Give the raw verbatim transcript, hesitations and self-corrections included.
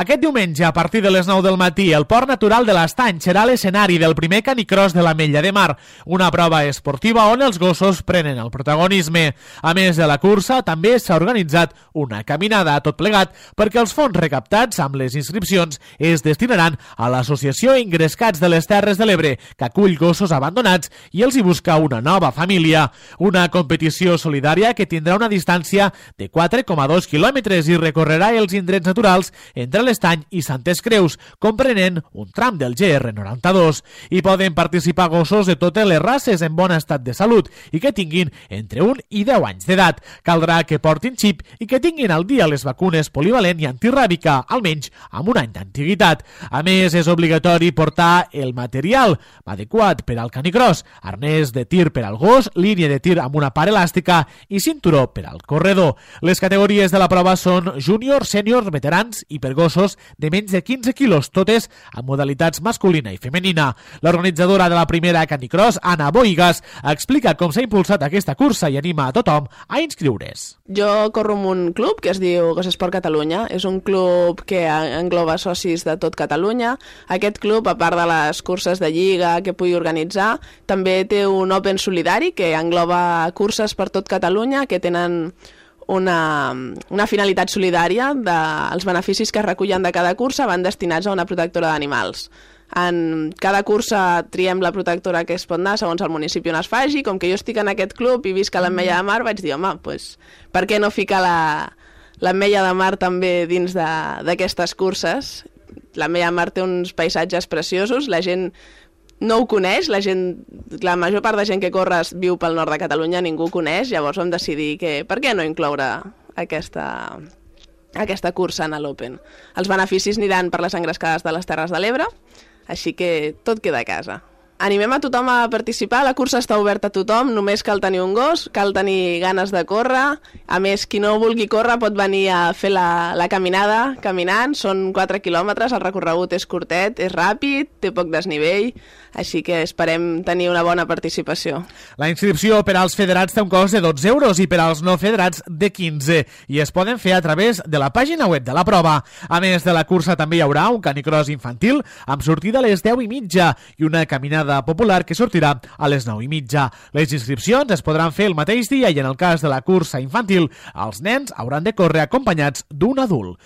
Aquest diumenge, a partir de les nou del matí, el Port Natural de l'Estany serà l'escenari del primer canicross de l'Ametlla de Mar, una prova esportiva on els gossos prenen el protagonisme. A més de la cursa, també s'ha organitzat una caminada a tot plegat perquè els fons recaptats amb les inscripcions es destinaran a l'Associació Engrescats de les Terres de l'Ebre, que acull gossos abandonats i els hi busca una nova família. Una competició solidària que tindrà una distància de quatre coma dos quilòmetres i recorrerà els indrets naturals entre l'Estany i Santes Creus, comprenent un tram del G R noranta-dos. Hi poden participar gossos de totes les races en bon estat de salut i que tinguin entre un i deu anys d'edat. Caldrà que portin xip i que tinguin al dia les vacunes polivalent i antiràbica, almenys amb un any d'antiguitat. A més, és obligatori portar el material adequat per al canicross, arnès de tir per al gos, línia de tir amb una part elàstica i cinturó per al corredor. Les categories de la prova són júnior, sènior, veterans i per gossos de menys de quinze quilos, totes amb modalitats masculina i femenina. L'organitzadora de la primera canicross, Anna Boigas, explica com s'ha impulsat aquesta cursa i anima a tothom a inscriure's. Jo corro en un club que es diu Gossport Catalunya. És un club que engloba socis de tot Catalunya. Aquest club, a part de les curses de lliga que pugui organitzar, també té un Open solidari que engloba curses per tot Catalunya que tenen Una, una finalitat solidària. De, els beneficis que es recullen de cada cursa van destinats a una protectora d'animals. En cada cursa triem la protectora que es pot anar segons el municipi on es faci. Com que jo estic en aquest club i visc a l'Ametlla de Mar, vaig dir, home, pues, per què no ficar la, l'Ametlla de Mar també dins d'aquestes curses? L'Ametlla de Mar té uns paisatges preciosos, la gent no ho coneix, la gent, la major part de gent que corre viu pel nord de Catalunya, ningú ho coneix, llavors vam decidir que per què no incloure aquesta, aquesta cursa en l'Open. Els beneficis aniran per les engrescades de les Terres de l'Ebre, així que tot queda a casa. Animem a tothom a participar, la cursa està oberta a tothom, només cal tenir un gos, cal tenir ganes de córrer. A més, qui no vulgui córrer pot venir a fer la, la caminada caminant, són quatre quilòmetres, el recorregut és curtet, és ràpid, té poc desnivell, així que esperem tenir una bona participació. La inscripció per als federats té un cost de dotze euros i per als no federats de quinze i es poden fer a través de la pàgina web de la prova. A més de la cursa també hi haurà un canicross infantil amb sortida a les deu i mitja i una caminada popular que sortirà a les nou i mitja. Les inscripcions es podran fer el mateix dia i en el cas de la cursa infantil, els nens hauran de córrer acompanyats d'un adult.